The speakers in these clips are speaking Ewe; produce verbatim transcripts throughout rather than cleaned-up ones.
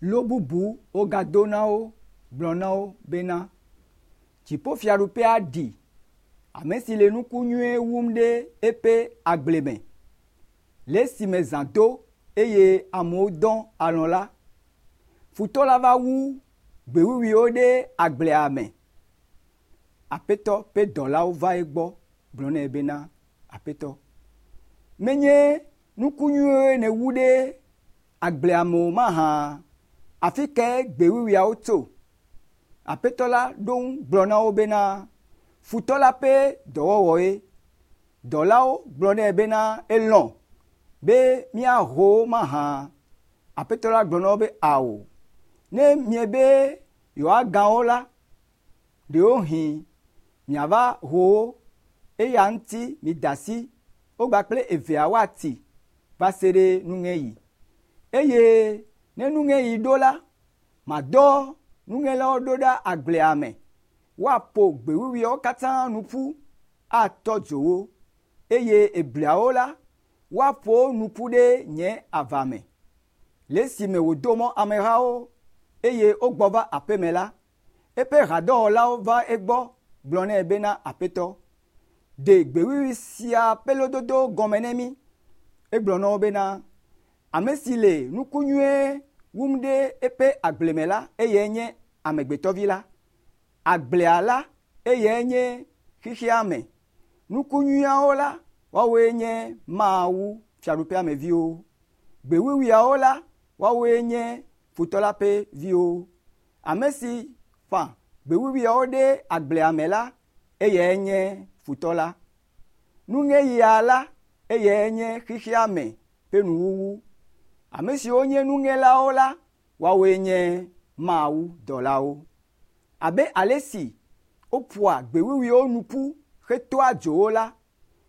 Lo bubu wogado na wo gblɔ na wo bena, dziƒofiaɖuƒea ɖi ame si le nuku nyuie wum ɖe eƒe agble me. Le esime zã do eye amewo dɔ alɔ̃ la, futɔ la va wu gbe wuwuiwo ɖe agblea me. Aƒetɔ ƒe dɔlawo va egbɔ gblɔ nɛ bena, Aƒetɔ, menye nuku nyuiwoe nèwu ɖe agblea me o mahã? Afi kae gbe wuwuiawo tso? Aƒetɔ la ɖo ŋu gblɔ na wo bena, futɔ la ƒe dɔwɔwɔe. Dɔlawo gblɔ nɛ bena, elɔ̃ be míaho wo mahã? Aƒetɔ la gblɔ na wo be, ao. Ne miebe yewoagã wo la, ɖewohĩ miava ho wo. Eya ŋuti mida asi wo kpakple evea woati va se ɖe nuŋeɣi. Eye ne nuŋeɣi ɖo la, madɔ nuŋelawo ɖo ɖa agblea me. Woaƒo gbe wuwuiawo katã nu ƒu atɔ dzo wo eye ebliawo la, woaƒo wo nu ƒu ɖe nye ava me. Le esime wòdo mɔ amehawo eye wogbɔ va aƒeme la, eƒe hadɔwɔlawo va egbɔ gblɔ nɛ bena, Aƒetɔ, ɖe gbe wuwui sia ƒe lododo gɔme ne mí. Egblɔ na wo bena, ame si le nuku nyuie wum ɖe eƒe agble me la, eyae nye amegbetɔvi la. Agblea la, eyae nye xexea me. Nuku nyuiawo la, woawoe nye Mawu fiaɖuƒea me viwo. Gbe wuwuiawo la, woawoe nye futɔ la ƒe viwo. Ame si ƒã gbe wuwuiawo ɖe agblea me la, eyae nye futɔ la. Nuŋeɣia la, eyae nye xexea me ƒe nuwuwu. Ame siwo nye nuŋelawo la, woawoe nye Mawu dɔlawo. Abe ale si woƒoa gbe wuwuiwo nu ƒu hetɔa dzo wo la,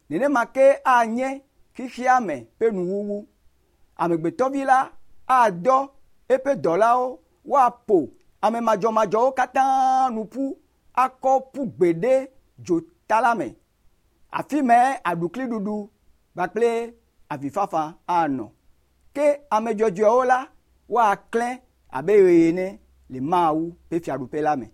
nenema ke anye xexea me ƒe nuwuwu. Amegbetɔvi la adɔ eƒe dɔlawo woaƒo ame madzɔmadzɔwo katã nu ƒu akɔ ƒu gbe ɖe dzota la me. Afi mae aɖukliɖuɖu kpakple avifafa anɔ. Ke ame dzɔdzɔewo la, woaklẽ abe ɣe ene le Mawu ƒe fiaɖuƒe la me.